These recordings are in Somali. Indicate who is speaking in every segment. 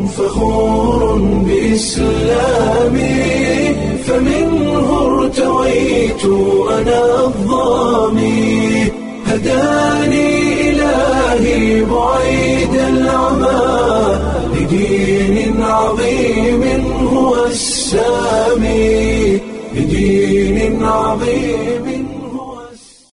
Speaker 1: فخور بإسلامي، فمنه ارتويت أنا الظامي، هداني إلهي بعيد العمى لدين عظيم هو السامي، لدين عظيم هو السامي.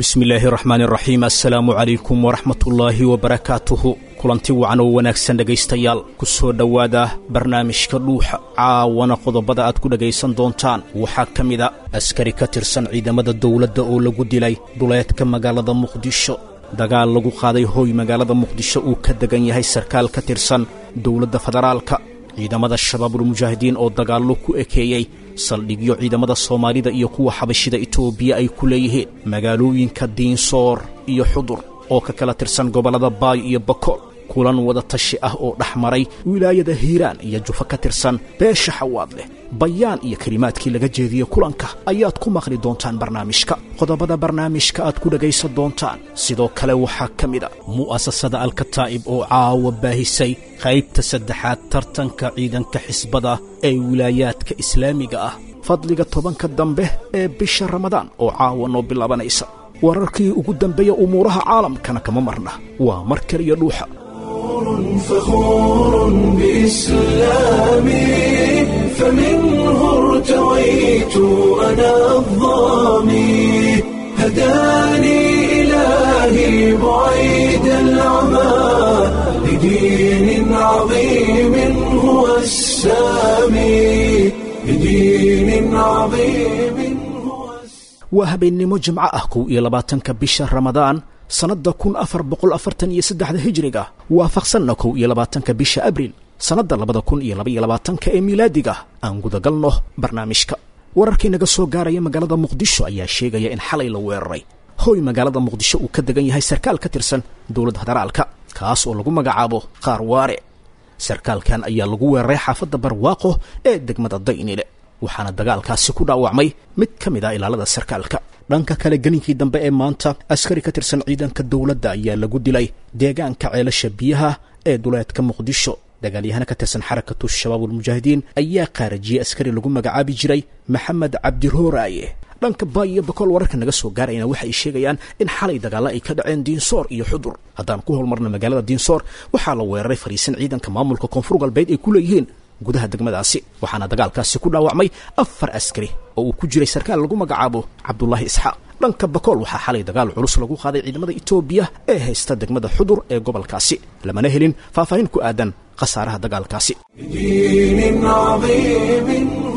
Speaker 2: Bismillaahi raxmaani raxiim, assalaamu calaykum waraxmatullaahi wabarakaatuhu. Kulanti wacan oo wanaagsan dhegaystayaal, ku soo dhowaada barnaamijka Dhuuxa. Caawana qodobada aad ku dhegaysan doontaan waxaa ka mid a askari ka tirsan ciidamada dowladda oo lagu dilay duleedka magaalada Muqdisho, dagaal lagu qaaday hooy magaalada Muqdisho uu ka degan yahay sarkaal ka tirsan dowladda federaalka, ciidamada Shabaabulmujaahidiin oo dagaallo ku ekeeyey saldhigyo ciidamada Soomaalida iyo kuwa Xabashida Itoobiya ay ku leeyihiin magaalooyinka Diinsoor iyo Xudur oo ka kala tirsan gobollada Baay iyo Bakool, kulan wada tashi ah oo dhex maray wilaayada Hiiraan iyo Jufo ka tirsan beesha Xawaad leh. Bayaan iyo kelimaadkii laga jeediyey kulanka ayaad ku maqli doontaan barnaamijka. Qodobada barnaamijka aad ku dhegaysan doontaan sidoo kale waxaa ka mid a mu'asasada Alkataa'ib oo caawa baahisay qaybta saddexaad tartanka ciidanka xisbada ee wilaayaadka islaamiga ah, fadliga 10-ka dambe ee bisha Ramadaan oo caawa noo bilaabanaysa, wararkii ugu dambeeya umuuraha caalamkana kama marna. Waa mar kaliya Dhuuxa.
Speaker 1: فخور بإسلامي، فمنه ارتويت أنا الظامي، هداني إلهي بعيد العمى لدين عظيم هو السامي، لدين عظيم هو السامي.
Speaker 2: Waa habeennimo Jimco ah, 21-ka bisha Ramadaan sannadda 1443-da hijriga, waafaqsanna 21-ka bisha Abriil sannadda 2022-ka ee miilaadiga. Aan gudagalno barnaamijka. Wararkii naga soo gaaraya magaalada Muqdisho ayaa sheegaya in xalay la weeraray hooy magaalada Muqdisho uu ka degan yahay sarkaal ka tirsan dowladda federaalka, kaas oo lagu magacaabo Qaarwaare. Sarkaalkan ayaa lagu weeraray xaafadda Barwaaqo ee degmada Daynile, waxaana dagaalkaasi ku dhaawacmay mid ka mid ah ilaalada sarkaalka. Dhanka kale, gelinkii dambe ee maanta askari ka tirsan ciidanka dowladda ayaa lagu dilay deegaanka Ceelasha Biyaha ee duleedka Muqdisho. Dagaalyahana ka tirsan Xarakatu Shabaabulmujaahidiin ayaa qaarajiyey askari lagu magacaabi jiray Maxamed Cabdirooraaye. Dhanka Baay iyo Bakool wararka naga soo gaarayna waxay sheegayaan in xalay dagaalla ay ka dhaceen Diinsoor iyo Xudur. Haddaan ku holmarna magaalada Diinsoor, waxaa la weeraray fariisin ciidanka maamulka Koonfur Galbeed ay ku leeyihiin gudaha degmadaasi, waxaana dagaalkaasi ku dhaawacmay 4 askari oo uu ku jiray sarkaal lagu magacaabo Cabdulaahi Isxaaq. Dhanka Bakool waxaa xalay dagaal culus lagu qaaday ciidamada Itoobiya ee haysta degmada Xudur ee gobolkaasi, lamana helin faahfaahin ku aadan khasaaraha dagaalkaasi.
Speaker 1: لدين عظيم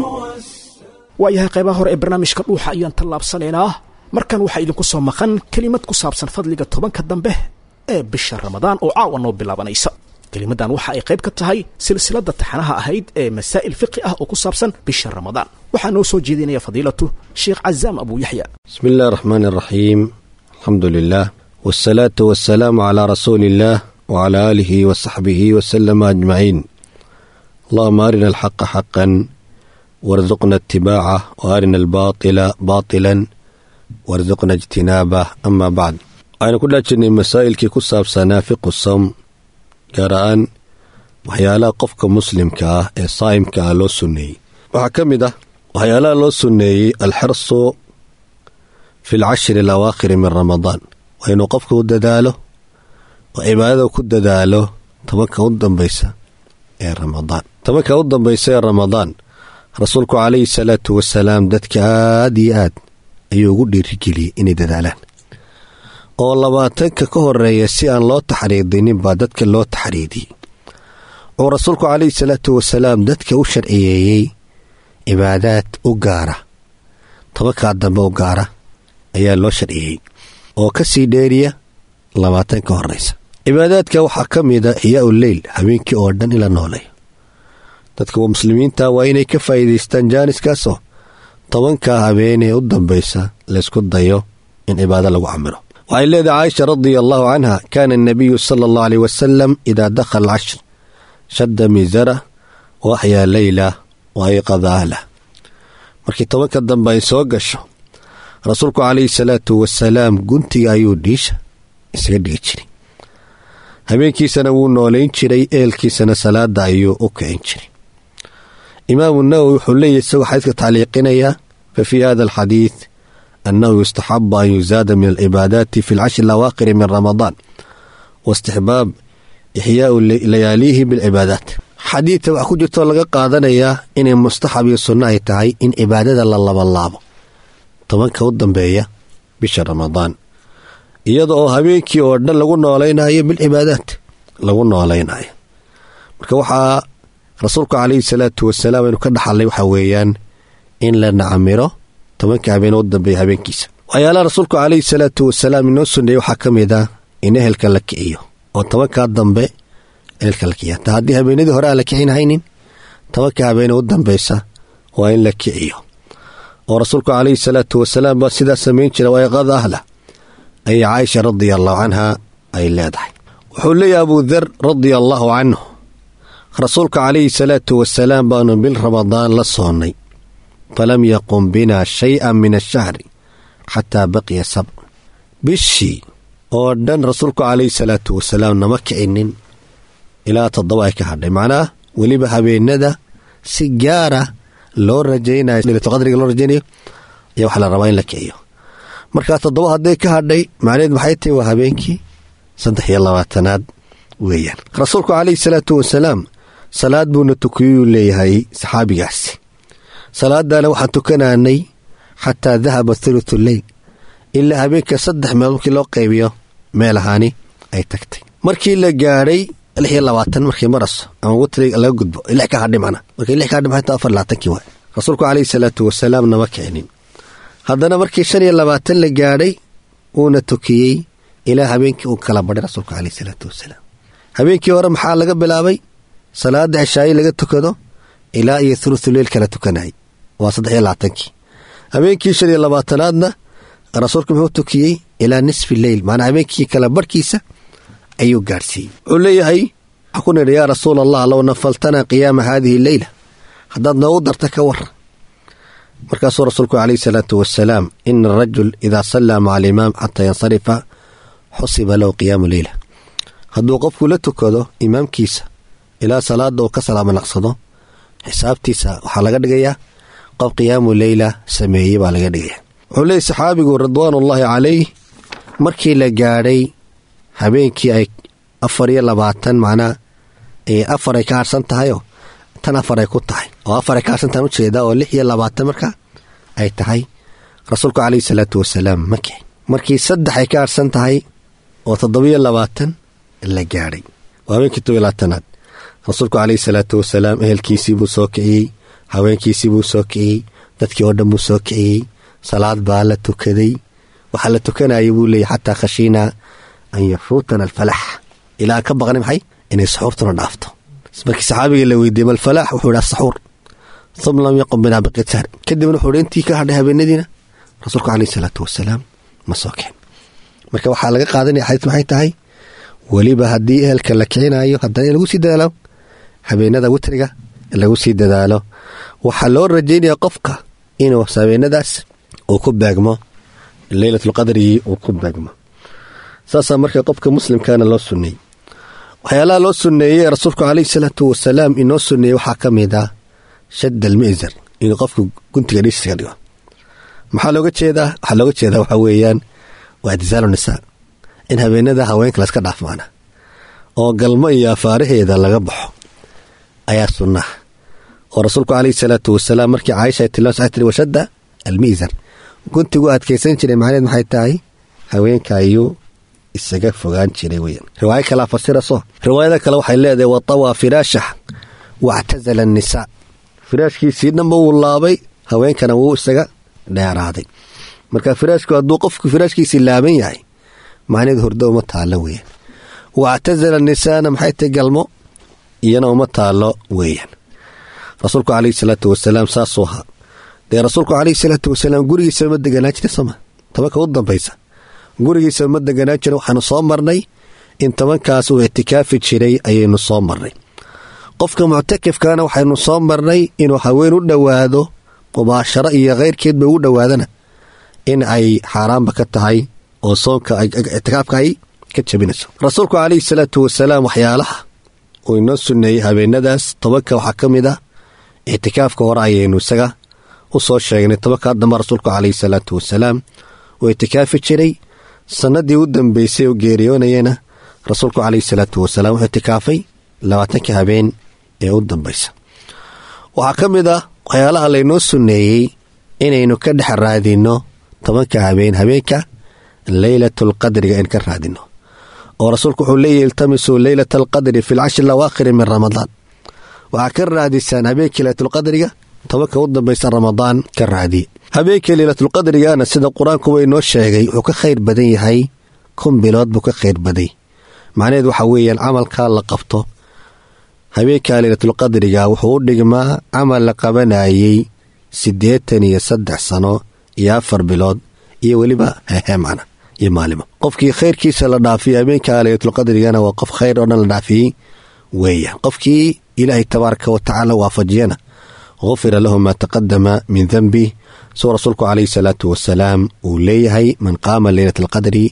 Speaker 1: هو السامي.
Speaker 2: Waayahay, qaybaha hore ee barnaamijka Dhuuxa ayaan tallaabsanaynaa. Markan waxaa idinku soo maqan kelimad ku saabsan fadliga 10-ka dambe ee bisha Ramadaan oo caawa noo bilaabanaysa. Kelimadan waxa ay qayb ka tahay silsiladda taxanaha ahayd ee masaa'il fiqi ah oo ku saabsan bisha Ramadaan. Waxaa noo soo jeedinaya fadiilatu Sheekh Cazaam Abu Yaxya.
Speaker 3: بسم الله الرحمن الرحيم، الحمد لله والصلاة والسلام على رسول الله وعلى آله وصحبه وسلم أجمعين. اللهم أرنا الحق حقا وارزقنا اتباعه، وأرنا الباطل باطلا وارزقنا اجتنابه. أما بعد، aynu ku dhaajirnay masaa'ilkii ku saabsanaa fiqu sawm, gaar ahaan waxyaalaha qofka muslimka ah ee saa'imka ah loo sunneeyey. Waxaa ka mid ah waxyaalaha loo sunneeyey alxirsu fi alcashri alawaakhiri min Ramadaan, waa inuu qofka u dadaalo oo cibaadada ku dadaalo 10-ka u dambaysa ee Ramadaan. 10-ka u dambaysa ee Ramadaan rasuulku calayhi salaatu wasalaam dadka aad iyo aad ayuu ugu dhiirigeliyey inay dadaalaan, oo 20-ka ka horeeya si aan loo taxriidinin baa dadka loo taxriidiyey, oo rasuulku calayhi salaatu wasalaam dadka u sharciyeeyey cibaadaad u gaara 10-kaa dambe u gaara ayaa loo sharciyey oo ka sii dheeriya 20 ka horeysa. Cibaadaadka waxaa ka mida ixyaau leyl, habeenkii oo dhan ila nooleeyo. Dadka muslimiinta waa inay ka faa'iidaystaan jaaniskaasoo 10-kaa habeenee u dambaysa laysku dayo in cibaado lagu camiro. Waxay leedahay Caaisha radia allahu canha: kaana anabiyu sala allahu aleyh wasalam idaa dakhala alcashr shadda miisara wa axyaa leyla wa ayqada ahlah. Markii 10-ka dambe ay soo gasho, rasuulku calayhi salaatu wasalaam guntiga ayuu dhiisha isaga dhigi jiray. Habeenkiisana wuu noolayn jiray, ehelkiisana salaada ayuu u kicin jiray. Imaamu Nawowi wuxuu leeyahy isagoo xadiidka tacliiqinaya, fa fii hada alxadiid annahu yustaxabu an yuzaada min alcibaadaati fi alcashri alawaakhiri min ramadaan, waistixbaab ixyaau layaaliihi bilcibaadaat. Xadiidka waxaa ku jirtoo laga qaadanayaa inay mustaxab iyo sunno ay tahay in cibaadada la labalaabo 10ka u dambeeya bisha Ramadaan, iyada oo habeenkii oo dhan lagu noolaynayo bilcibaadaat lagu noolaynayo. Marka waxaa rasuulku calayhi salaatu wasalaam aynu ka dhaxalnay waxaa weeyaan in la nacmiro 10ka habeen u dambeeya habeenkiisa. Waxyaalaha rasuulku calayhi salaatu wasalaam inoo sunneeyey waxaa ka mid ah in ehelka la kiciyo, oo 10kaa dambe ehelka la kiciyo. Hataa haddii habeenadii hore aan la kicin haynin, 10ka habeen u dambeysa waa in la kiciyo, oo rasuulku calayhi salaatu wasalaam baa sidaa samayn jira. Wayqada ahla ayay Caaisha radia allahu canha ay leedahay. Wuxuu leeyahay Abuu Dar radia allahu canhu, rasuulka calayhi salaatu wasalaam baanu bil Ramadaan la soonnay, falam yaqum bina shay-an min ashahri xataa baqiya sabc. Bishii oo dhan rasuulku calayhi salaatu wasalaam nama kicinin ilaa 7 ay ka hadhay. Macnaha weliba habeenada si gaara loo rajaynayo leylatulqadriga loo rajaynayo ayaa waxaa la rabaa in la kiciyo. Markaa 7 hadday ka hadhay, macnaheed maxay tahay? Waa habeenkii 23aad weeyaan. Rasuulku calayhi salaatu wasalaam salaad buuna tukiyuu leeyahay saxaabigaasi. Salaadana waxaan tukanaanay xataa dahaba thuluthu leyl, ilaa habeenka 3 meel markii loo qaybiyo meel ahaani ay tagtay. Markii la gaadhay 26 markii maraso ama witri laga gudbo, 6 ka hadhay, macna markii 6 ka hadhay maxay tahay? 24kii waay. Rasuulku calayhi salaatu wasalaam nama kicinin. Haddana markii 25 la gaadhay wuuna tukiyey ilaa habeenkii uu kala badhay rasuulku calayhi salaatu wasalaam. Habeenkii hore maxaa laga bilaabay? Salaada cishaayi laga tukado ilaa iyo thuluthu leyl kala tukanayay, waa 23kii. Habeenkii 25aadna rasuulku muxuu tukiyey? Ilaa nisfi leyl, macnaa habeenkii kala barhkiisa ayuu gaadhsiiyey. Wuxuu leeyahay waxaa ku nidhi, yaa rasuul allah, low nafaltanaa qiyaama haadihi leyla, haddaad noogu darta ka waran. Markaasuu rasuulku calayhi salaatu wasalaam, ina arajul idaa sallaa maca alimaam xataa yansarifa xusiba lahu qiyaamu leyla. Hadduu qofku la tukado imaamkiisa ilaa salaada uu ka salaamo naqsado, xisaabtiisa waxaa laga dhigayaa qof qiyaamu leyla sameeyey baa laga dhigaya. Wuxuu leeyay saxaabigu ridwaanullaahi calayh, markii la gaadhay habeenkii ay 24, macnaa 4 ay ka harsan tahayoo tan 4 ay ku tahay, oo 4 ay ka harsan tahan ujeedaa, oo 26 marka ay tahay, rasuulku calayhi salaatu wasalaam ma kicin. Markii 3 ay ka harsan tahay oo 27 la gaadhay, waa habeenkii 27aad, rasuulku calayhi salaatu wasalaam ehelkiisii buu soo kiciyey, haweenkiisii buu soo kiciyey, dadkii oo dhan buu soo kiciyey. Salaad baa la tukaday. Waxaa la tukanayay buu leeyay xataa khashiinaa an yafuutana alfalax, ilaa ka baqnay maxay? Inay saxuurtuna dhaafto. Markii saxaabiga la weydiiyey malfalaax, wuxuu yidhi asaxuur. Uma lam yaqum binaa baqiyat sahr. Kadibna wuxuu yidhi intii ka hadhay habeenadiina rasuulku calayhi salaatu wasalaam ma soo kicin. Marka waxaa laga qaadanaya xadiis maxay tahay? Weliba haddii ehelka la kicinayo, haddana in lagu sii dadaalo habeenada witriga lagu sii dadaalo. Waxaa loo rajaynaya qofka inuu habeenadaas uu ku beegmo leylatulqadrigii uu ku beegmo. Saasaa marka qofka muslimkaana loo sunneeyey. Waxyaalaha loo sunneeyey rasuulku calayhi salaatu wasalaam inoo sunneeyey waxaa ka mid ah shadd almi'zar, inuu qofku guntiga dhiisiga dhigo. Maxaa looga jeedaa? Waxaa looga jeedaa waxaa weeyaan waa ictisaalu nisaa, in habeenada haweenka laska dhaaf maana oo galmo iyo afaaraheeda laga baxo ayaa sunnaha. Oo rasuulku calayhi salaatu wasalaam markii Caaisha ay tilmaamay waxay tiri washadda almi'zar, guntigu adkaysan jiray. Macnaheed maxay tahay? Haweenka ayuu isaga fogaan jiray weyaan. Riwaayo kalaa fasiraso. Riwaayada kale waxay leedahay watawaa firaashah wactazala annisaa, firaashkiisii dhanba wuu laabay, haweenkana wuu isaga dheeraaday. Marka firaashku hadduu qofku firaashkiisii laaban yahay, macnaheed hurdo uma taallo weeyaan. Wactazala nisaana maxay tahay? Galmo iyana uma taallo weeyaan. Rasuulku calayhi salaatu wasalaam saasuu ahaa. Dee rasuulku calayhi salaatu wasalaam gurigiisa ma deganaa jira sooma? 10ka u dambaysa gurigiisa ma deganaa jira. Waxaanu soo marnay in 10kaas uu ictikaafi jiray ayaynu soo marnay. Qofka muctakifkana waxaynu soo marnay inuu haween u dhowaado mubaasharo iyo khayrkeedba ugu dhowaadana in ay xaaraanba ka tahay oo soonka ictikaafka ay ka jabinayso. Rasuulku calayhi salaatu wasalaam waxyaalaha uu inoo sunneeyey habeenadaas 10-ka waxaa ka mid ah ictikaafka. Hore ayaynu isaga u soo sheegnay 10-kaa dambe rasuulku calayhi salaatu wasalaam uu ictikaafi jiray. Sanadii u dambeysay oo geeriyoonayana rasuulku calayhi salaatu wasalaam wuxuu ictikaafay 20-ka habeen ee u dambaysa. Waxaa ka mid ah waxyaalaha laynoo sunneeyey inaynu ka dhex raadinno 10-ka habeen habeenka leylatulqadriga in ka raadinno, oo rasuulku wuxuu leeyahy: iltamisuu leylata alqadri fi lcashri alawaakhiri min Ramadaan. Waxaa ka raadisaan habeenkii leylatulqadriga 10-ka u dambaysa Ramadaan ka raadiye. Habeenkii leylatulqadrigana, sida qur-aankuba inoo sheegay, wuxuu ka khayr badan yahay 1000 bilood buu ka khayr baday. Macnaheed waxa weeyaan, camalkaa la qabto habeenka leylatulqadriga wuxuu u dhigmaa camal la qabanayey 83 sano iyo 4 bilood iyo weliba hehe macna iyo maalimo. Qofkii khayrkiisa la dhaafiyey habeenka leylatulqadrigana waa qof khayr oo dhan la dhaafiyey weeyaan. Qofkii Ilaahay tabaaraka wa tacaala waafajiyana, gufira lahu maa taqadama min danbi, suu rasuulku calayhi salaatu wasalaam uu leeyahay: man qaama leylata alqadri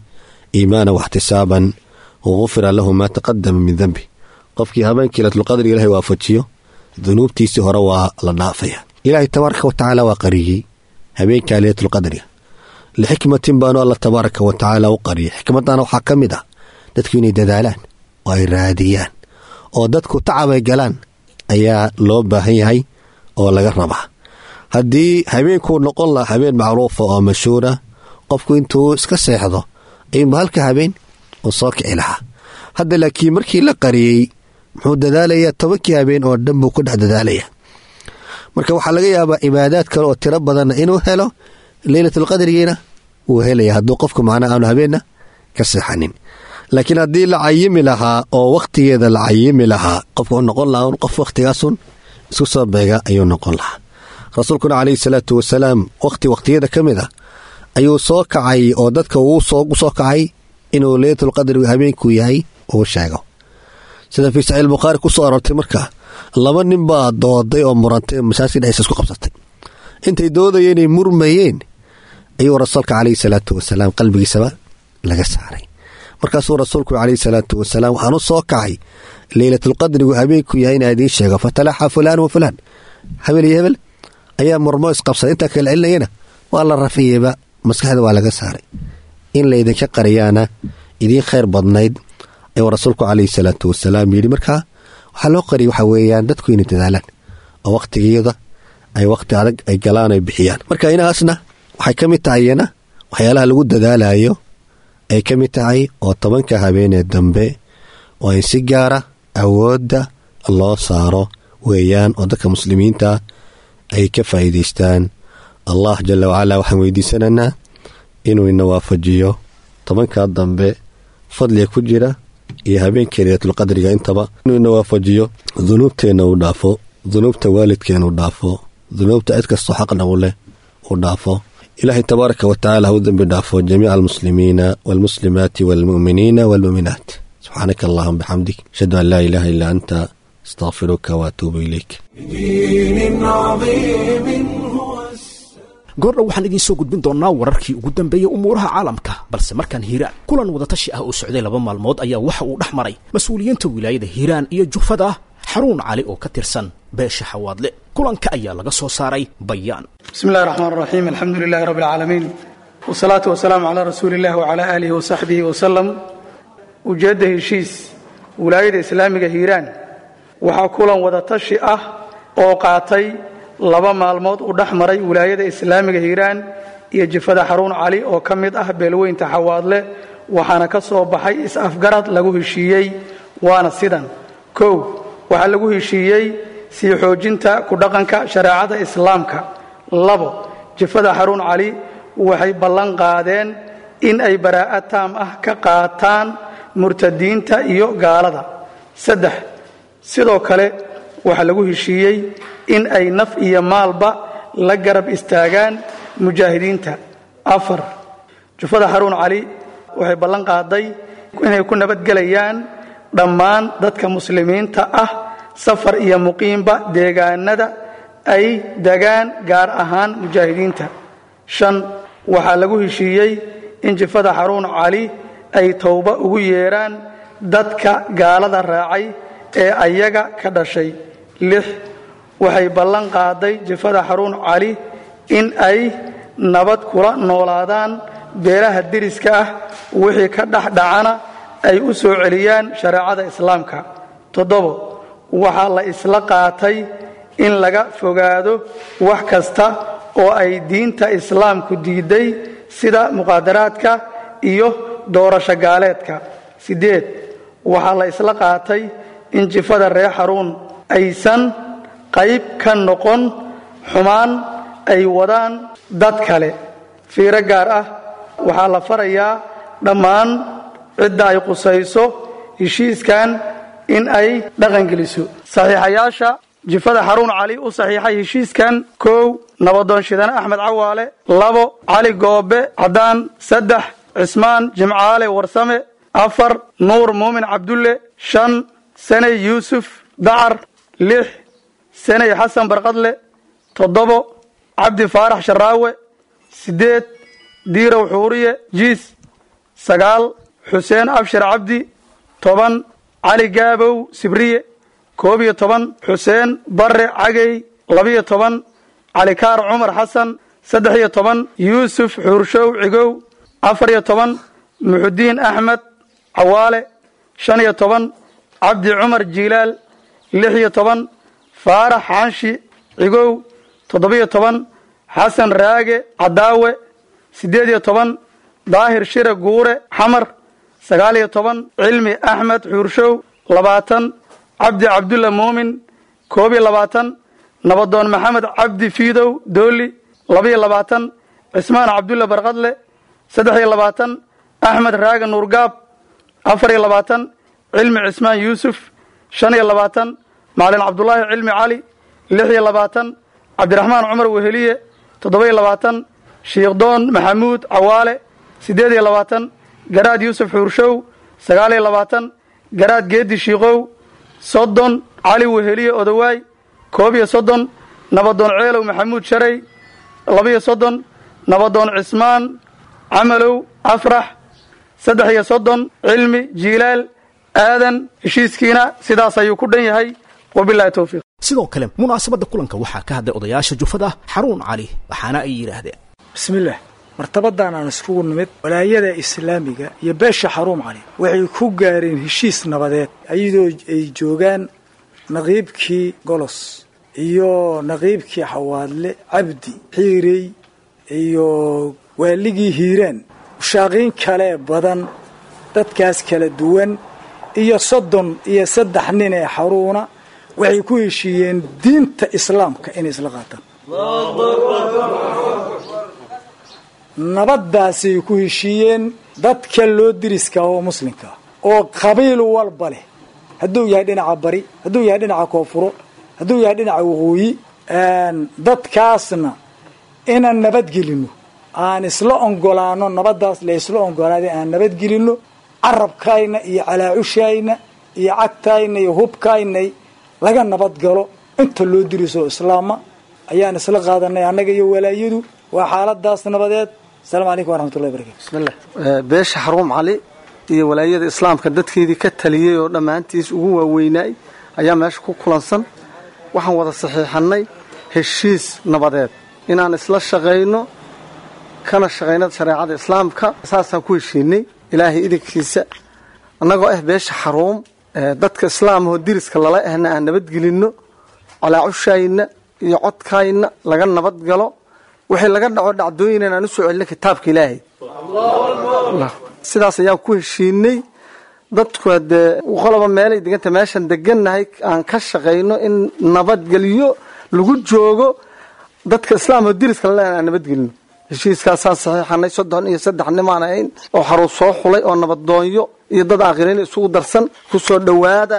Speaker 3: iimaana waxtisaaban gufira lahu maa taqadama min danbi. Qofkii habeenkii leylatulqadriga Ilahay waafajiyo, dunuubtiisii hore waa la dhaafaya. Ilaahay tabaaraka wa tacaala waa qariyey habeenka leylatulqadriga lixikmatin baanu Alla tabaaraka wa tacaala u qariyay. Xikmadana waxaa ka mid ah dadku inay dadaalaan oo ay raadiyaan, oo dadku tacab ay galaan ayaa loo baahan yahay oo laga rabaa. Haddii habeenkuu noqon lahaa habeen macruufa oo mashhuura, qofku intuu iska seexdo ayuunba halka habeen uu soo kici lahaa. Hadda laakiin markii la qariyey, muxuu dadaalayaa? 10-kii habeen oo dhan buu ku dhex dadaalayaa. Marka waxaa laga yaabaa cibaadaad kale oo tiro badanna inuu helo, leylatulqadrigiina wuu helaya, hadduu qofku macnaha aanu habeenna ka seexanin. Laakiin haddii la cayimi lahaa oo wakhtigeeda la cayimi lahaa, qofku wuxuu noqon lahaa un qof wakhtigaasun isku soo beega ayuu noqon lahaa. Rasuulkuna calayhi salaatu wasalaam wakhti wakhtiyada ka mid ah ayuu soo kacay oo dadka uu soo kacay inuu leylatulqadrigu habeenkuu yahay uu sheego, sida fii Saxiix Bukhaari ku soo aroortay. Markaa laba nin baa dooday oo murantay, masaajidka dhexdiisa isku qabsatay. Intay doodayeenay murmayeen ayuu rasuulka calayhi salaatu wasalaam qalbigiisaba laga saaray. Markaasuu rasuulku calayhi salaatu wasalaam: waxaan u soo kacay leylatulqadrigu habeenku yahay inaa idiin sheego. Fatalaxa fulaan wa fulaan, hebel iyo hebel ayaa murmo isqabsaday. Intaa kala celinayana waa la rafiyeyba, maskaxda waa laga saaray. In laydinka qariyaana idiin khayr badnayd, ayuu rasuulku calayhi salaatu wasalaam yidhi. Markaa waxaa loo qariyay waxaa weeyaan dadku inay dadaalaan oo wakhtigiyada ay wakhti adag ay galaan ay bixiyaan. Marka inahaasna waxay ka mid tahay iyana waxyaalaha lagu dadaalayo ay ka mid tahay, oo 10-ka habeenee dambe oo in si gaara awoodda loo saaro weeyaan, oo dadka muslimiinta ay ka faa'iidaystaan. Allah jala wacalaa waxaan weydiisanaynaa inuu ina waafajiyo 10-kaa dambe fadliga ku jira iyo habeenkii leylatulqadriga intaba, inuu ina waafajiyo, dunuubteenna uu dhaafo, dunuubta waalidkeena uu dhaafo, dunuubta cid kastoo xaqna u leh uu dhaafo. Ilaahay tabaaraka wa tacala ha u dembi dhaafo jamiica almuslimiina waalmuslimaati waalmu'miniina waalmu'minaat. Subxaanaka allahuma bixamdik, ashhadu an laa ilaaha illa anta, astaqfiruka waatuubu ilayk.
Speaker 1: بدين عظيم هو السلام.
Speaker 2: Goordhow waxaan idiin soo gudbin doonnaa wararkii ugu dambeeyey umuuraha caalamka, balse markaan Hiiraan. Kulan wadatashi ah oo socday 2 maalmood ayaa waxa uu dhex maray mas-uuliyiinta wilaayada Hiiraan iyo jufada Xaruun Cali oo ka tirsan beesha Xawaadle. Kulanka ayaa laga soo saaray bayaan.
Speaker 4: بسم الله الرحمن الرحيم، الحمد لله رب العالمين، والصلاة والسلام على رسول الله وعلى آله وصحبه وسلم. Ujeedda heshiis wilaayada islaamiga Hiiraan. Waxaa kulan wadatashi ah oo qaatay 2 maalmood u dhex maray wilaayada islaamiga Hiiraan iyo jifada Xaruun Cali oo ka mid ah beelweynta Xawaadle, waxaana ka soo baxay is-afgarad lagu heshiiyey, waana sidan: 1, waxaa lagu heshiiyey sii xoojinta ku dhaqanka shareecada islaamka. 2, jifada Xaruun Cali waxay ballan qaadeen in ay baraa'ad taam ah ka qaataan murtadiinta iyo gaalada. 3, sidoo kale waxaa lagu heshiiyey in ay naf iyo maalba la garab istaagaan mujaahidiinta. 4, jufada Xaruun Cali waxay ballan qaaday inay ku nabadgelayaan dhammaan dadka muslimiinta ah, safar iyo muqiimba, deegaanada ay degaan, gaar ahaan mujaahidiinta. 5, waxaa lagu heshiiyey in jifada Xaruun Cali ay towba ugu yeeraan dadka gaalada raacay ee ayaga ka dhashay. 6, waxay ballan qaaday jifada Xaruun Cali in ay nabad kula noolaadaan beelaha deriska ah, wixii ka dhex dhacana ay u soo celiyaan shareecada islaamka. 7, waxaa la isla qaatay in laga fogaado wax kasta oo ay diinta islaamku diiday, sida muqaadaraadka iyo doorasho gaaleedka. 8, waxaa la isla qaatay in jifada reer Xaruun aysan qayb ka noqon xumaan ay wadaan dad kale. Fiiro gaar ah, waxaa la farayaa dhammaan cidda ay qusayso heshiiskan in ay dhaqangeliso. Saxiixayaasha jifada Xaruun Cali u saxiixay heshiiskan: 1, Nabadoon Shidane Axmed Cawaale; 2, Cali Goobe Caddaan; 3, Cismaan Jimcaale Warsame; 4, Nuur Muumin Cabdulle; 5, Saney Yuusuf Dacar; 6, Saney Xasan Barqadle; 7, Cabdi Faarax Sharaawe; 8, Diirow Xuuriye Jiis; 9, Xuseen Abshir Cabdi; 10, Cali Gaabow Sibriye; 11, Xuseen Barre Cagey; 12, Calikaar Cumar Xasan; 13, Yuusuf Xuurshow Cigow; 14, Muxudiin Axmed Cawaale; 15, Cabdi Cumar Jiilaal; 16, Faarax Xaanshi Cigow; 17, Xasan Raage Cadaawe; 18, Daahir Shire Guure Xamar; 19, Cilmi Axmed Xuurshow; 20, Cabdi Cabdulla Muumin; 21, Nabadoon Maxamed Cabdi Fiidow Dooli; 22, Cismaan Cabdulla Barqadle; 23, Axmed Raage Nuurgaab; 24, Cilmi Cismaan Yuusuf; 25, Macalin Cabdulaahi Cilmi Cali; 26, Cabdiraxmaan Cumar Weheliye; 27, Shiikhdoon Maxamuud Cawaale; 28, Garaad Yuusuf Xuurshow; 29, Garaad Geedi Shiikow; 30, Cali Weheliye Odawaay; 31, Nabadoon Ceelow Maxamuud Sharey; 32, Nabadoon Cismaan Camalow Afrax; 33, Cilmi Jiilaal Aadan. Heshiiskiina sidaas ayuu ku dhan yahay. Wabilahi towfiiq.
Speaker 2: Sidoo kale munaasabadda kulanka waxaa ka hadlay odayaasha jufada Xaruun Cali, waxaana ay yidhaahdeen:
Speaker 5: Bismillaah. Martabadan aan iskugu nimid, walaayada islaamiga iyo beesha Xaruun Cali waxay ku gaareen heshiis nabadeed, iyadoo ay joogaan naqiibkii Golos iyo naqiibkii Xawaadle Cabdi Xiirey iyo waaligii Hiiraan, mushaaqiin kale badan, dadkaas kala duwan iyo 33 nin ee Xaruuna waxay ku heshiiyeen diinta islaamka inay isla qaataan. Nabaddaasay ku heshiiyeen dadka loo diriska oo muslimka oo qabiil walba leh, hadduu yahay dhinaca bari, hadduu yahay dhinaca koonfuro, hadduu yahay dhinaca waqooyi. Dadkaasna inaan nabadgelino, aan isla ongolaano nabaddaas, la isla ongolaaday aan nabadgelino, carabkayna iyo calaacushayna iyo cagtayna iyo hubkayna laga nabadgalo. Inta loo diriso islaama ayaan isla qaadanay annaga iyo walaayadu. Waa xaaladaas nabadeed. Asalaamu calaykum waraxmatullahi barakatu.
Speaker 6: Bismillah. Beesha Xaruum Cali iyo walaayada islaamka dadkeedii ka taliyey oo dhammaantiis ugu waaweynaay ayaa meesha ku kulansan. Waxaan wada saxiixannay heshiis nabadeed inaan isla shaqayno, kana shaqayno shareecada islaamka. Saasaan ku heshiinay ilaahay idinkiisa, annagoo ah beesha Xaruum, dadka islaamahoo diriska lala ahna aan nabadgelinno, calaacushayna iyo codkayna laga nabadgalo, wixii laga dhaco dhacdooyinan aan u soo celino kitaabka ilaahay. Sidaas ayaan ku heshiinay. Dadku hadee qoloba meelay deganta, meeshan degannahay aan ka shaqayno in nabadgelyo lagu joogo, dadka islaamahoo diriska lala ahna aan nabadgelino. Heshiiskaasaan saxiixanay. 33 nimaan ahayn oo xaruun soo xulay oo nabadoonyo iyo dad aakhiriin isugu darsan. Ku soo dhowaada,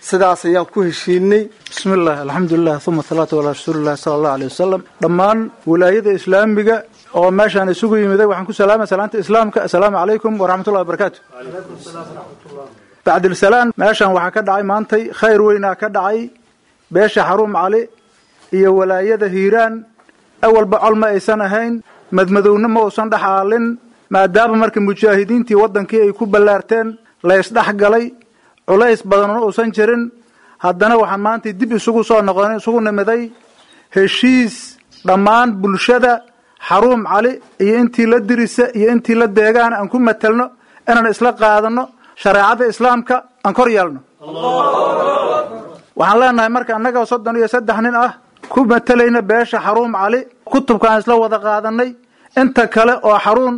Speaker 6: sidaas ayaan ku heshiinay.
Speaker 7: Bismillaah, alxamdulilah, uma asalaatu calaa rasuulillahi sala allahu aleyh wasalam. Dhammaan walaayada islaamiga oo meeshaan isugu yimiday waxaan ku salaamay salaanta islaamka: assalaamu calaykum waraxmatullahi wabarakaatu. Bacdilsalaan, meeshaan waxaa ka dhacay maantay khayr weynaa ka dhacay. Beesha Xaruum Cali iyo walaayada Hiiraan awalba col ma aysan ahayn, madmadowna ma uusan dhex aalin. Maadaama marka mujaahidiintii waddankii ay ku ballaarteen, la isdhex galay, culays badanuna uusan jirin, haddana waxaan maanta dib isugu soo noqon isugu nimiday heshiis dhammaan bulshada Xaruum Cali iyo intii la dirisa iyo intii la deegaan aan ku matelno inaan isla qaadano shareecada islaamka aan kor yeelno. Waxaan leenahay marka annaga 33 nin ah ku matelayna beesha Xaruum Cali, kutubka aan isla wada qaadanay, inta kale oo Xaruun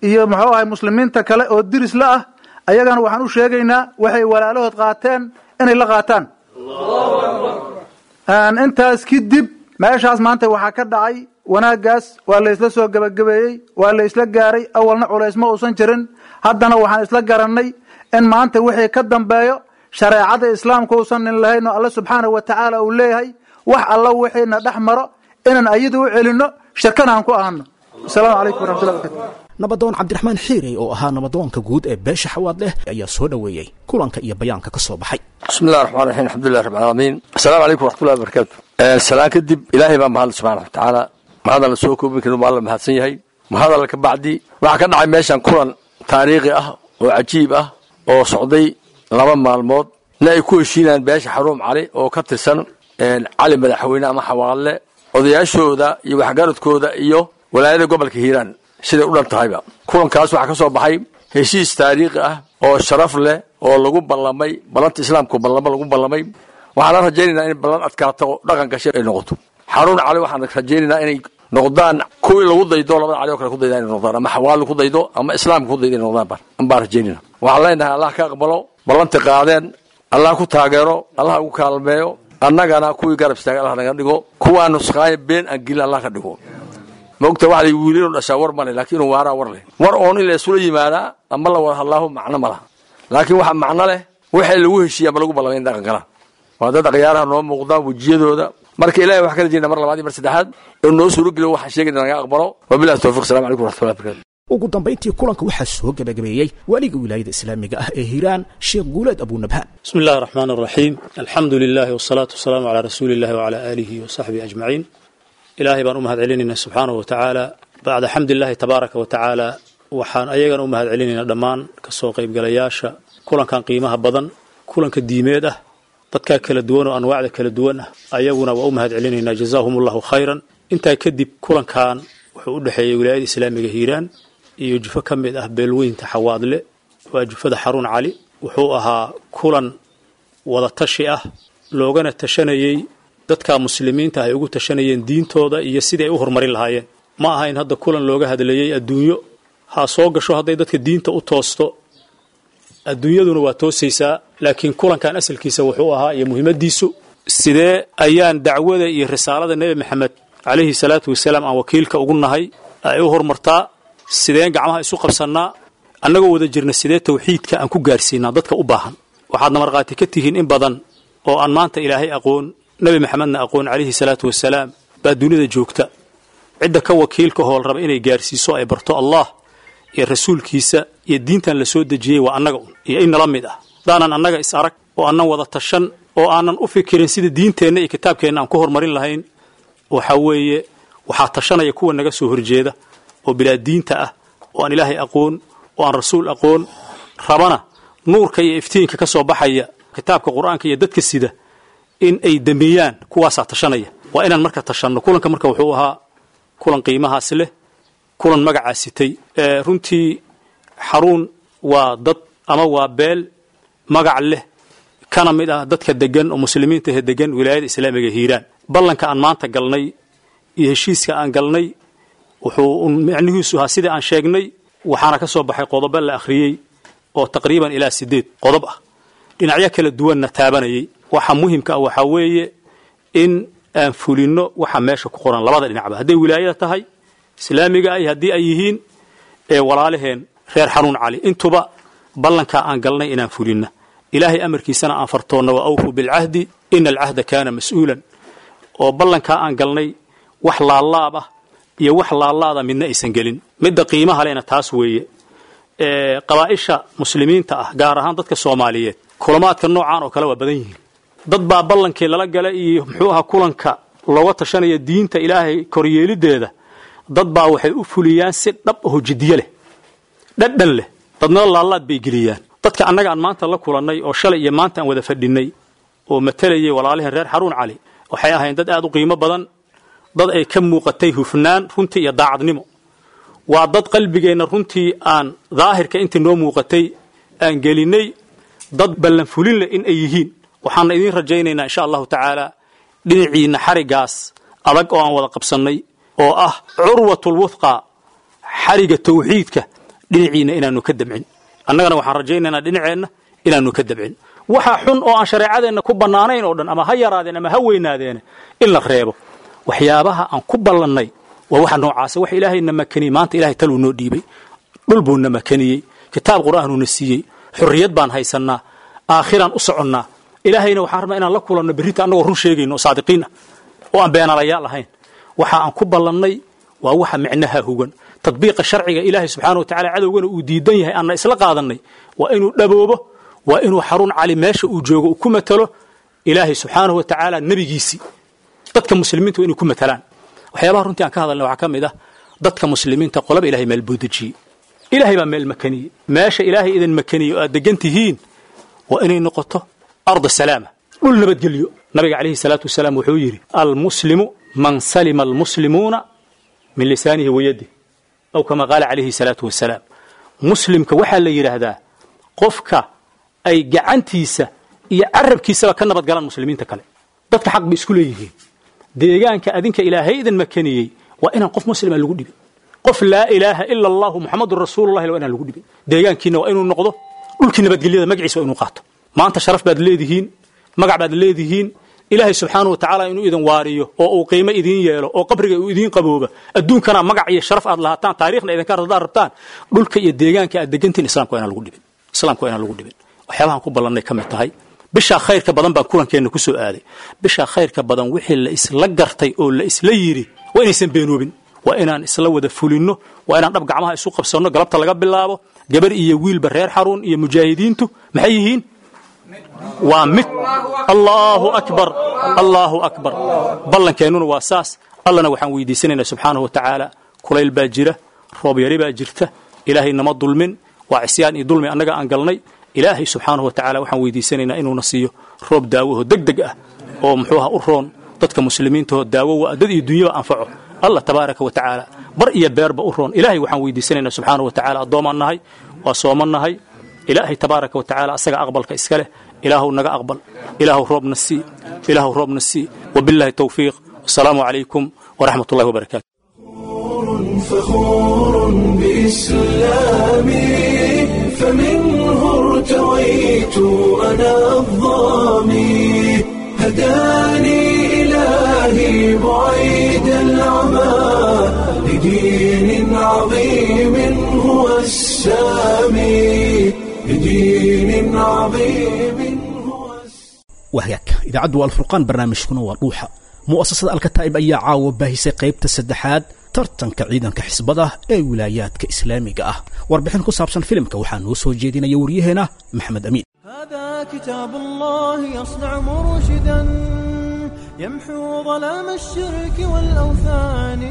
Speaker 7: iyo muxuu ahay muslimiinta kale oo diris la ah ayagana waxaan u sheegaynaa waxay walaalahood qaateen inay la qaataan. Intaas kadib meeshaas maanta waxaa ka dhacay wanaaggaas, waa la isla soo gebagabeeyey, waa la isla gaaray. Awalna culays ma uusan jirin, haddana waxaan isla garannay in maanta wixii ka dambeeyo shareecada islaamka uusan nin lahayn oo Alle subxaanahu wa tacaala uu leeyahay wax alla wixiina dhex maro inaan ayada u celinno, shirkana aan ku ahano. Asalaamu calaykum waraxmatullahi barakatu.
Speaker 2: Nabadoon Cabdiraxmaan Xiirey oo ahaa nabadoonka guud ee beesha Xawaadleh ayaa soo dhoweeyey kulanka iyo bayaanka ka soo baxay.
Speaker 8: Bismi illahi raxmaan raxiim, alxamdulilah rabbi alcaalamiin, assalaamu calaykum waraxmatullahi wabarakaatu. Salaan kadib, Ilaahay baa mahadle subxaana wa tacaala, mahadaan la soo koobi karin, waa la mahadsan yahay. Mahadalla ka bacdi, waxaa ka dhacay meeshan kulan taariikhi ah oo cajiib ah oo socday 2 maalmood, na ay ku heshiinayaan beesha Xaruum Cali oo ka tirsan Cali Madaxweyne ama Xawaadle, odayaashooda iyo waxgaradkooda iyo walaayada gobolka Hiiraan siday u dhan tahayba. Kulankaas waxaa ka soo baxay heshiis taariikhi ah oo sharaf leh oo lagu ballamay ballanta islaamku, ballamo lagu ballamay. Waxaan la rajaynaynaa in ballan adkaato oo dhaqan gashay ay noqoto. Xaruun Cali waxaan rajaynaynaa inay noqdaan kuwii lagu daydo, labada cali oo kale ku dayda inay noqdaan, ama Xawaali ku daydo ama islaamka ku daydo inay noqdaan baan rajaynayna. Waxaan leenahay Allah ka aqbalo ballanta qaadeen, Allah ku taageero, Allah ugu kaalmeeyo, annagana kuwii garab istaaga Allah naga dhigo, kuwaa nusqaaya been aan gelin Allah ka dhigo. Maogta waxa la wiilinu dhashaa war male, laakiin inuu waaraa war leh. War oon in la isula yimaadaa ama la wada hadlaaho macno ma laha, laakiin waxa macno leh waxay lagu heshiiya ama lagu ballamay in dhaqan galaan. Waa dad akhyaaraha noo muuqdaan wejiyadooda. Marka Ilahay waxaan ka rajayna mar labaad iyo mar saddexaad inuu noo suurogeliyo waxaan sheegayna naga aqbalo. Wabillahi tawfiq, salamu calaykum waraxmatullahi barakatu.
Speaker 2: Ugu dambayntii kulanka waxaa soo gebagabeeyey waaliga wilaayada islaamiga ah ee Hiiraan, Sheekh Guuleed Abuunabhaan.
Speaker 9: بسم الله الرحمن الرحيم، الحمد لله والصلاة والسلام على رسول الله وعلى آله وصحبه أجمعين. إلهي بان أمهد علينا سبحانه وتعالى، بعد حمد الله تبارك وتعالى waxaan ayagana u mahad celinaynaa dhammaan kasoo qaybgalayaasha kulankan qiimaha badan, kulanka diimeed ah, dadkaa kala duwan oo anwaacda kala duwan ah, ayaguna waa u mahad celinaynaa, jazaahum allahu khayran. Intaa kadib, kulankan wuxuu u dhexeeyey wilaayada islaamiga Hiiraan iyo jufo ka mid ah beelweynta Xawaadle, waa jufada Xaruun Cali. Wuxuu ahaa kulan wada tashi ah, loogana tashanayey dadka muslimiinta ay ugu tashanayeen diintooda iyo sidii ay u horumarin lahaayeen. Ma aha in hadda kulan looga hadlayey adduunyo ha soo gasho. Hadday dadka diinta u toosto, adduunyaduna waa toosaysaa, laakiin kulankan asalkiisa wuxuu ahaa iyo muhiimadiisu sidee ayaan dacwada iyo risaalada Nebi Maxamed calayhi salaatu wasalaam aan wakiilka ugu nahay ay u horumartaa, sideen gacmaha isu qabsannaa annagoo wada jirna, sidee tawxiidka aan ku gaarsiinaa dadka u baahan. Waxaadna markhaati ka tihiin in badan oo aan maanta Ilaahay aqoon, Nebi Maxamedna aqoon calayhi salaatu wasalaam baa dunida joogta. Cidda ka wakiilka hool raba inay gaarsiiso, ay barto Allah iyo rasuulkiisa iyo diintan la soo dejiyey, waa annaga un iyo in nala mid ah. Haddaanan annaga is arag oo aanan wada tashan oo aanan u fikirin sida diinteenna iyo kitaabkeenna aan ku horumarin lahayn, waxaa weeye waxaa tashanaya kuwa naga soo horjeeda oo bilaa diinta ah, oo aan Ilaahay aqoon oo aan rasuul aqoon, rabana nuurka iyo iftiinka ka soo baxaya kitaabka Qur-aanka iyo dadka sida in ay damiyaan. Kuwaasaa tashanaya. Waa inaan marka tashanno. Kulanka marka wuxuu ahaa kulan qiimahaas leh, kulan magacaa sitay. Runtii Xaruun waa dad ama waa beel magac leh, kana mid ah dadka degan oo muslimiinta ee degan wilaayada islaamiga Hiiraan. Ballanka aan maanta galnay iyo heshiiska aan galnay wuxuu micnihiisu ahaa sidii aan sheegnay, waxaana ka soo baxay qodobo la akhriyey oo taqriiban ilaa 8 qodob ah, dhinacyo kala duwanna taabanayay. Waxa muhimka ah waxaa weeye in aan fulinno waxa meesha ku qoran labada dhinacba, hadday wilaayada tahay islaamiga ay, haddii ay yihiin ee walaalaheen reer Xanuun Cali, intuba ballankaa aan galnay inaan fulinna, Ilaahay amarkiisana aan fartoonna, wa awfuu bilcahdi ina alcahda kaana mas-uulan, oo ballankaa aan galnay wax laalaab ah iyo wax laalaada midna aysan gelin. Midda qiimaha lehna taas weeye. Qabaa'isha muslimiinta ah, gaar ahaan dadka Soomaaliyeed, kulamaadka noocaan oo kale waa badan yihiin. Dad baa ballankii lala gala iyo muxuu ahaa kulanka looga tashanaya diinta Ilaahay koryeelideeda, dad baa waxay u fuliyaan si dhab aho jiddiye leh. Dhadhan leh, dadna laalaad bay geliyaan. Dadka annaga aan maanta la kulannay oo shalay iyo maanta aan wada fadhinnay oo matalayay walaaliheen reer Xaruun Cali, waxay ahayn dad aad u qiimo badan, dad ay ka muuqatay hufnaan runtii iyo daacadnimo. Waa dad qalbigeenna runtii aan daahirka intii noo muuqatay aan gelinnay dad ballanfulin leh in ay yihiin. Waxaana idiin rajaynaynaa insha allahu tacaala dhinaciinna xarigaas adag oo aan wada qabsannay oo ah curwatul wuthqa, xariga tawxiidka, dhinaciinna inaanu ka dabcin. Annagana waxaan rajaynaynaa dhinaceenna inaanu ka dabcin waxa xun oo aan shareecadeenna ku bannaanayn oo dhan, ama ha yaraadeen ama ha weynaadeene, in la reebo. Waxyaabaha aan ku ballannay waa waxa noocaasa. Wax ilaahayna makaniyey maanta, ilahay taluu noo dhiibay, dhul buu na makaniyey, kitaab qur'aanuuna siiyey, xorriyad baan haysannaa, aakhiraan u soconnaa. Ilaahayna waxaan rabnaa inaan la kulanno berrita annagoo run sheegayno oo saadiqiin ah oo aan beenalayaal ahayn. Waxa aan ku ballannay waa waxa micnaha hugan tadbiiqa sharciga ilaahay subxaana wa tacala, cadowgana uu diidan yahay, aanna isla qaadannay. Waa inuu dhaboobo, waa inuu Xaruun Cali meesha uu joogo uu ku matalo ilaahay subxaanahu wa tacaala, nebigiisii, dadka muslimiinta waa inay ku matalaan. Waxyaabaha runtii aan ka hadalnay waxaa ka mid ah dadka muslimiinta qolaba ilahay meel buu dejiyey, ilaahay baa meel makaniyey. Meesha ilaahay idin makaniyey oo aad degan tihiin waa inay noqoto arda salaama, dhul nabadgelyo. Nabiga calayhi salaatu wasalaam wuxuu yidhi: almuslimu man salima almuslimuuna min lisaanihi wayadih, aw kama qaala calayhi salaatu wasalaam. Muslimka waxaa la yidhaahdaa qofka ay gacantiisa iyo carabkiisaba ka nabad galaan muslimiinta kale. Dadka xaq bay isku leeyihiin. Deegaanka adinka ilaahay idin makaniyey waa inaan qof muslima lagu dhibin, qof laa ilaaha ila allahu muxamadun rasuulullahi waa inaan lagu dhibin. Deegaankiina waa inuu noqdo dhulkii nabadgelyada, magaciisa waa inuu qaato. Maanta sharaf baad leedihiin, magac baad leedihiin. Ilaahay subxaanahu wa tacaala inuu idin waariyo oo uu qiimo idiin yeelo oo qabriga uu idiin qabooba, adduunkana magac iyo sharaf aad lahaataan, taariikhna idinka haddaad rabtaan, dhulka iyo deegaanka aad degantihiin islaamka waa inaan lagu dhibin, islaamka waa inaan lagu dhibin. Waxyaabahan ku ballannay ka mid tahay. Bishaa khayrka badan baan kulankeenna ku soo aaday. Bishaa khayrka badan wixii la isla gartay oo la isla yidhi waa inaysan beenoobin, waa inaan isla wada fulinno, waa inaan dhab gacmaha isu qabsanno. Galabta laga bilaabo gabar iyo wiilba reer Xaruun iyo mujaahidiintu maxay yihiin? Waa mid. Allahu akbar, allahu akbar. Ballankeenuna waa saas. Allana waxaan weydiisanaynaa subxaanahu wa tacaala, kulayl baa jira, roob yari baa jirta, ilaahay nama dulmin, waa cisyaan iyo dulmi annaga aan galnay. Ilaahay subxaanahu wa tacala waxaan weydiisanaynaa inuuna siiyo roob daawaho deg deg ah oo muxuuha u roon dadka muslimiintahoo daawo waa dad iyo dunyaba anfaco, allah tabaaraka wa tacaala bar iyo beerba u roon. Ilaahay waxaan weydiisanaynaa subxaanahu wa tacala, addoomaan nahay, waa sooman nahay, ilaahay tabaaraka wa tacaala asaga aqbalka iska leh. Ilaahuw naga aqbal, ilaahuw roobna sii, ilaahuw roobna sii. Wabillahi towfiiq, wasalaamu calaykum waraxmat ullahi wabarakaatu.
Speaker 1: فخور بإسلامي، فمنه ارتويت أنا الظامي، هداني إلهي بعيد العمى لدين عظيم هو السامي، لدين عظيم هو.
Speaker 2: Wahagaag, idaacaddu waa Alfurqaan, barnaamijkuna waa Dhuuxa. Mu'asasada Alkataa'ib ayaa caawa baahisay qaybta saddexaad tartanka ciidanka xisbada ee wilaayaadka islaamiga ah. Warbixin ku saabsan filimka waxaa noo soo jeedinaya waryaheena Maxamed Amiin.
Speaker 10: هذا كتاب الله يصنع مرشدا، يمحو ظلام الشرك والأوثان.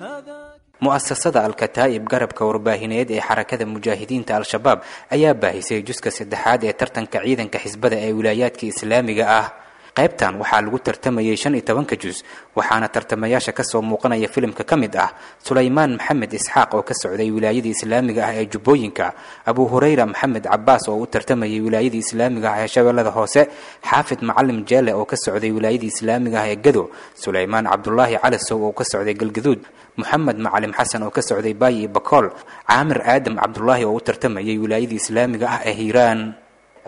Speaker 10: هذا
Speaker 11: Mu'asasada Alkataa'ib, garabka warbaahineed ee Xarakada Mujaahidiinta Al-Shabaab, ayaa baahisay juska saddexaad ee tartanka ciidanka xisbada ee wilaayaadka islaamiga ah. Qaybtan waxaa lagu tartamayay 15-ka jus, waxaana tartamayaasha kasoo muuqanaya filimka ka mid ah Sulaymaan Maxamed Isxaaq oo ka socday wilaayada islaamiga ah ee Jubbooyinka, Abu Hurayra Maxamed Cabaas oo u tartamayay wilaayada islaamiga ah ee Shabeellada Hoose, Xaafid Macalim Jeele oo ka socday wilaayada islaamiga ah ee Gado, Sulaymaan Cabdulaahi Calasow oo ka socday Galgaduud, Moxamed Macalim Xasan oo ka socday Baayi iyo Bakool, Caamir Aadam Cabdulaahi oo u tartamayay wilaayada islaamiga ah ee Hiiraan.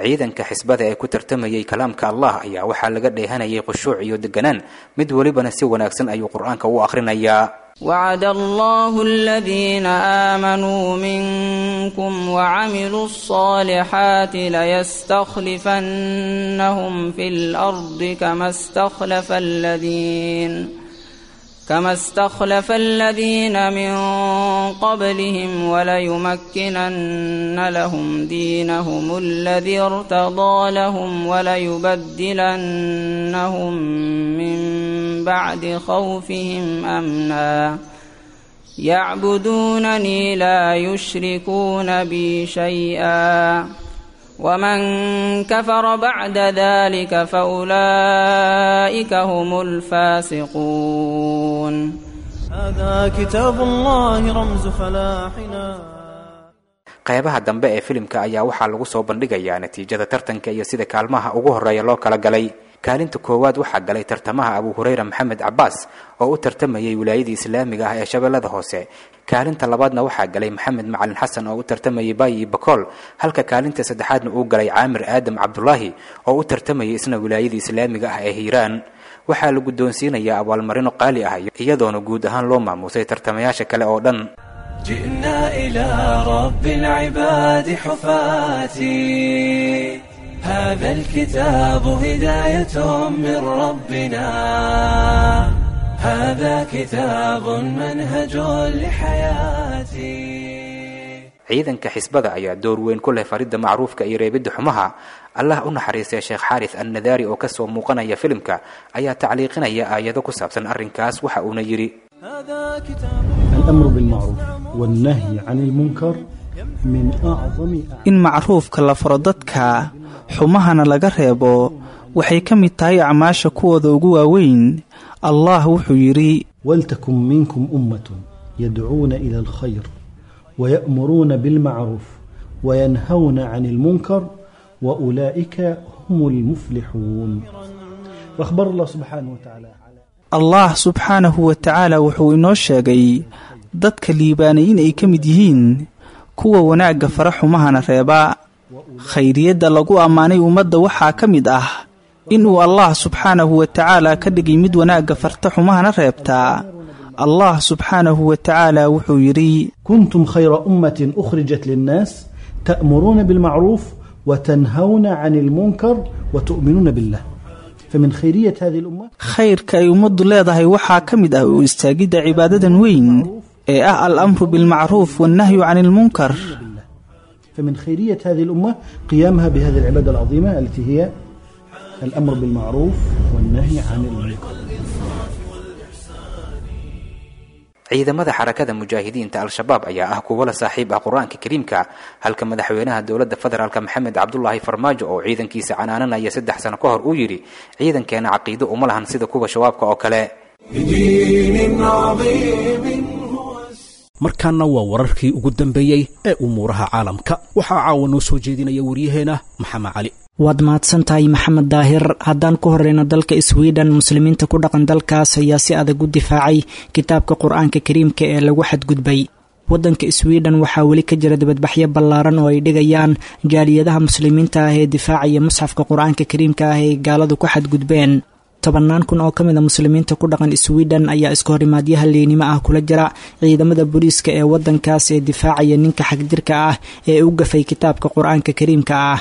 Speaker 11: Ciidanka xisbada ee ku tartamayay kalaamka Allah ayaa waxaa laga dheehanayay khushuuc iyo deganaan, mid welibana si wanaagsan ayuu qur-aanka u akhrinayaa.
Speaker 12: وعد الله الذين آمنوا منكم وعملوا الصالحات ليستخلفنهم في الأرض كما استخلف الذين من قبلهم وليمكنن لهم دينهم الذي ارتضى لهم وليبدلنهم من بعد خوفهم أمنا. يعبدونني لا يشركون بي شيئا ومن كفر بعد ذلك فأولئك هم الفاسقون.
Speaker 10: هذا كتاب الله رمز فلاحنا.
Speaker 11: Qaybaha dambe ee filimka ayaa waxaa lagu soo bandhigayaa natiijada tartanka iyo sida kaalmaha ugu horreeya loo kala galay. Kaalinta koowaad waxaa galay tartamaha Abu Hureyra Maxamed Cabaas oo u tartamayay wilaayadii islaamiga ah ee Shabeellada Hoose. Kaalinta labaadna waxaa galay Maxamed Macalin Xasan oo u tartamayay Baayi Bakool, halka kaalinta saddexaadna uu galay Caamir Aadam Cabdulaahi oo u tartamayay isna wilaayadii islaamiga ah ee Hiiraan. Waxaa la guddoonsiinayaa abaalmarino qaali ah, iyadoona guud ahaan loo maamuusay tartamayaasha kale oo dhan.
Speaker 1: جئنا إلى رب العباد حفاتي، هذا الكتاب هداية من ربنا، هذا كتاب منهج لحياتي.
Speaker 11: Ciidanka xisbada ayaa door weyn ku leh faridda macruufka iyo reebidda xumaha. Allah u naxariistay Sheekh Xaaris Annadaari oo kasoo muuqanaya filimka ayaa tacliiqinaya aayado ku saabsan arrinkaas, waxa uuna yidhi:
Speaker 13: الأمر بالمعروف والنهي عن المنكر من أعظم
Speaker 14: In macruufka la faro dadka, xumahana laga reebo, waxay ka mid tahay acmaasha kuwooda ugu waaweyn. Allah wuxuu yidhi:
Speaker 13: ولتكن منكم أمة يدعون إلى الخير ويأمرون بالمعروف وينهون عن المنكر وأولئك هم المفلحون. وأخبر الله سبحانه وتعالى
Speaker 14: Allah subxaanahu wa tacaala wuxuu inoo sheegay dadka liibaanay in ay ka mid yihiin kuwa wanaagga fara, xumahana reeba. Khayriyadda lagu ammaanay ummadda waxaa ka mid ah inuu Allah subxaanahu wa tacaala ka dhigay mid wanaagga farta, xumahana reebtaa. Allah subxaanahu wa tacaala wuxuu yidhi:
Speaker 13: كنتم خير أمة أخرجت للناس تأمرون بالمعروف وتنهون عن المنكر وتؤمنون بالله. فمن خيرية هذه الأمة
Speaker 14: Khayrka ay ummaddu leedahay waxaa ka mid ah u istaagidda cibaadadan weyn ee ah al-amru bilmacruuf wannahyu cani ilmunkar.
Speaker 13: فمن خيرية هذه الأمة قيامها بهذه العبادة العظيمة التي هي الأمر بالمعروف والنهي عن المنكر.
Speaker 11: Ciidamada Xarakada Mujaahidiinta Al-Shabaab ayaa ah kuwo la saaxiib ah Qur-aanka Kariimka, halka madaxweynaha dowladda federaalka Maxamed Cabdulaahi Farmaajo oo ciidankiisa canaananaya 3 sano ka hor uu yidhi: ciidankeena caqiido uma lahan sida kuwa shabaabka oo kale.
Speaker 1: بدين عظيم.
Speaker 2: Markaana waa wararkii ugu dambeeyey ee umuuraha caalamka. Waxaa caawa noo soo jeedinaya waryaheena Maxamed Cali.
Speaker 15: Waad mahadsantahay, Maxamed Daahir. Haddaan ku horeyno dalka Sweden, muslimiinta ku dhaqan dalkaas ayaa si adag u difaacay kitaabka Qur-aanka Kariimka ee lagu xadgudbay. Waddanka Sweden waxaa weli ka jira dibadbaxyo ballaaran oo ay dhigayaan jaaliyadaha muslimiinta ah ee difaacaya musxafka Qur-aanka Kariimka ah ee gaaladu ku xadgudbeen. Tobannaan kun oo ka mid a muslimiinta ku dhaqan Sweden ayaa iska horimaadyaha leynimo ah kula jira ciidamada booliiska ee waddankaas ee difaacaya ninka xagjirka ah ee u gafay kitaabka Qur-aanka Kariimka ah.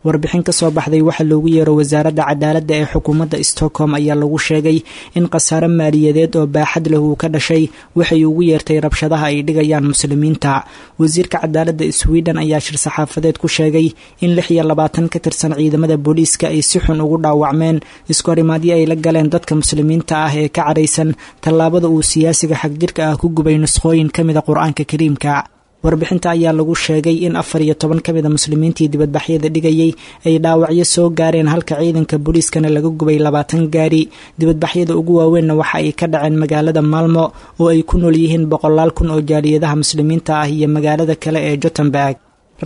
Speaker 15: Warbixin ka soo baxday waxa loogu yeero wasaaradda cadaaladda ee xukuumadda Stockholm ayaa lagu sheegay in khasaare maaliyadeed oo baaxad leh uu ka dhashay waxay ugu yeertay rabshadaha ay dhigayaan muslimiinta. Wasiirka cadaaladda Sweden ayaa shir saxaafadeed ku sheegay in 26 ka tirsan ciidamada booliiska ay si xun ugu dhaawacmeen iskahorimaadyo ay la galeen dadka muslimiinta ah ee ka caraysan tallaabada uu siyaasiga xagjirka ah ku gubay nuskhooyin ka mida Qur-aanka Kariimka. Warbixinta ayaa lagu sheegay in 14 ka mid a muslimiintii dibadbaxyada dhigayay ay dhaawacyo soo gaareen, halka ciidanka booliiskana laga gubay 20 gaari. Dibadbaxyada ugu waaweynna waxa ay ka dhaceen magaalada Maalmo oo ay ku nool yihiin boqolaal kun oo jaaliyadaha muslimiinta ah iyo magaalada kale ee Jotemberg.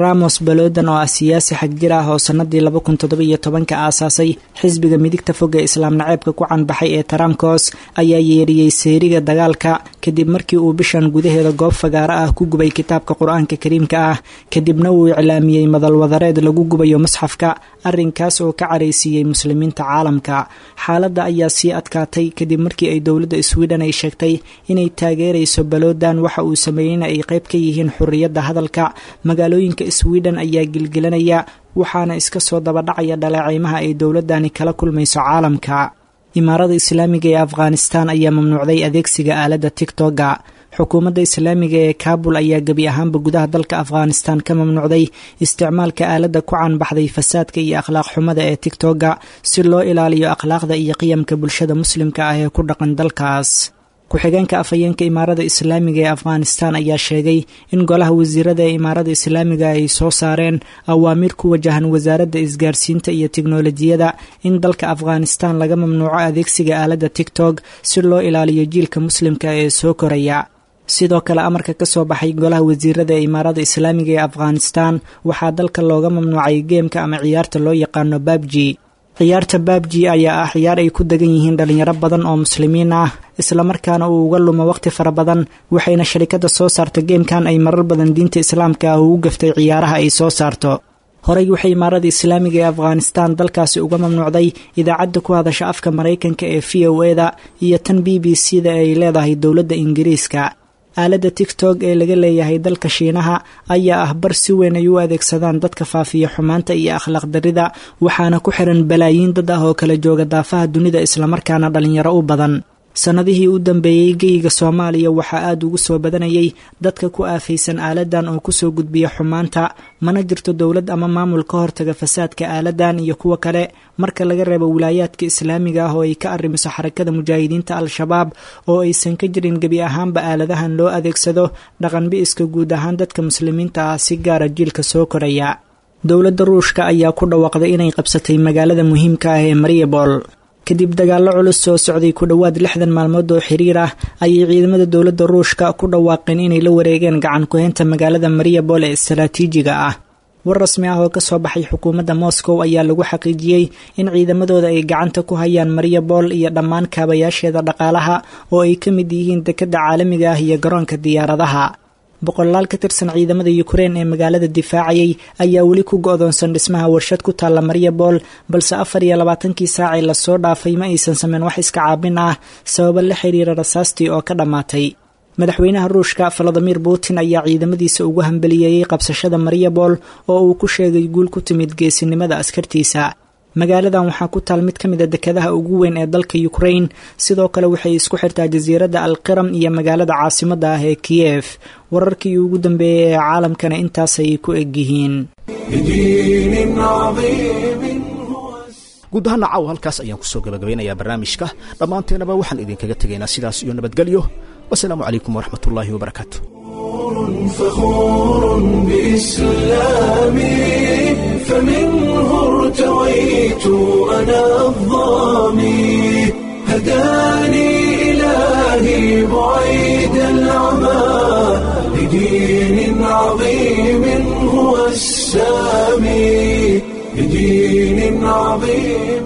Speaker 15: Ramos Balodan oo ah siyaasi xagjir ah oo sanadii 2017-ka aasaasay xisbiga midigta fog ee islaam naceebka ku canbaxay ee Taramkos ayaa yeeriyey seeriga dagaalka kadib markii uu bishan gudaheeda goob fagaaro ah ku gubay kitaabka Qur-aanka Kariimka ah, kadibna uu iclaamiyey madalwadareed lagu gubayo musxafka, arrinkaas oo ka caraysiiyey muslimiinta caalamka. Xaaladda ayaa sii adkaatay kadib markii ay dowladda Sweden ay sheegtay inay taageerayso Balodan, waxa uu sameeyeyna ay qayb ka yihiin xurriyadda hadalka. Magaalooyinka Sweden ayaa gilgilanaya, waxaana iska soo dabadhacaya dhaleeceymaha ay dowladani kala kulmayso caalamka. Imaarada Islaamiga ee Afghanistan ayaa mamnuucday adeegsiga aaladda Tigtoga. Xukuumadda Islaamiga ee Kaabul ayaa gebi ahaanba gudaha dalka Afghanistan ka mamnuucday isticmaalka aaladda ku caanbaxday fasaadka iyo akhlaaq xumada ee Tigtoga, si loo ilaaliyo akhlaaqda iyo qiyamka bulshada muslimka ah ee ku dhaqan dalkaas. Ku-xigeenka afhayeenka Imaarada Islaamiga ee Afghanistan ayaa sheegay in golaha wasiirada ee Imaarada Islaamiga ay soo saareen awaamiir ku wajahan wasaaradda isgaarsiinta iyo tiknolojiyada in dalka Afghanistan laga mamnuuco adeegsiga aaladda TikTok si loo ilaaliyo jiilka muslimka ee soo koraya. Sidoo kale, amarka ka soo baxay golaha wasiirada ee Imaarada Islaamiga ee Afghanistan waxaa dalka looga mamnuucay geemka ama ciyaarta loo yaqaano babji. Ciyaarta babji ayaa ah ciyaar ay ku degan yihiin dhalinyaro badan oo muslimiin ah, islamarkaana uu uga lumo waqti fara badan, waxayna sharikadda soo saarta geemkan ay marar badan diinta islaamka ah ugu gaftay ciyaaraha ay soo saarto. Horey waxay Imaarada Islaamiga ee Afghanistan dalkaasi uga mamnuucday idaacadda ku hadasha afka Maraykanka ee VOA-da iyo tan BBC-da ay leedahay dowladda Ingiriiska. Aaladda TikTok ee laga leeyahay dalka Shiinaha ayaa ah bar si weyn ay u adeegsadaan dadka faafiya xumaanta iyo akhlaaq darrida, waxaana ku xiran balaayiin dad ah oo kala jooga daafaha dunida, islamarkaana dhalinyaro u badan. Sannadihii u dambeeyey geyiga Soomaaliya waxaa aada ugu soo badanayay dadka ku aafaysan aaladan oo kusoo gudbiya xumaanta, mana jirto dowlad ama maamul ka hortaga fasaadka aaladan iyo kuwa kale, marka laga reebo wilaayaadka islaamiga ah oo ay ka arrimiso Xarakada Mujaahidiinta Al-Shabaab, oo aysan ka jirin gebi ahaanba aaladahan loo adeegsado dhaqan bi-iska guud ahaan dadka muslimiinta ah, si gaara jiilka soo koraya. Dowladda Ruushka ayaa ku dhawaaqday inay qabsatay magaalada muhiimka ah ee Mariupol. Kadib dagaallo culus soo socday ku dhowaad 60 maalmood oo xiriir ah, ayay ciidamada dowladda Ruushka ku dhawaaqeen inay la wareegeen gacan ku-haynta magaalada Mariupol ee istaraatiijiga ah. War rasmi ah oo kasoo baxay xukuumadda Moscow ayaa lagu xaqiijiyey in ciidamadooda ay gacanta ku hayaan Mariupol iyo dhammaan kaabayaasheeda dhaqaalaha, oo ay ka mid yihiin dekedda caalamiga ah iyo garoonka diyaaradaha. Boqolaal ka tirsan ciidamada Ukrein ee magaalada difaacayay ayaa weli ku go-doonsan dhismaha warshad ku taalla Mariupol, balse 24-kii saacee lasoo dhaafay ma aysan sameyn wax iska caabin ah, sababo la xiriira rasaastii oo ka dhammaatay. Madaxweynaha Ruushka Valadimir Putin ayaa ciidamadiisa ugu hambaliyeeyey qabsashada Mariupol, oo uu ku sheegay guul ku timid geesinimada askartiisa. Magaaladan waxaa ku taal mid ka mid a dekadaha ugu weyn ee dalka Ukrain. Sidoo kale waxay isku xirtaa jasiiradda Alqiram iyo magaalada caasimadda ah ee Kiyef. Wararkii ugu dambeeyey ee caalamkana intaasay ku egyihiin.
Speaker 2: Guud ahaana caaw halkaas ayaan kusoo gabagabaynayaa barnaamijka. Dhammaanteenaba waxaan idinkaga tegaynaa sidaas iyo nabadgelyo. Wasalaamu calaykum waraxmatullaahi wabarakaatu.
Speaker 1: فخور بإسلامي، فمنه ارتويت أنا الظامي، هداني إلهي بعيد العمى لدين عظيم هو السامي، لدين عظيم.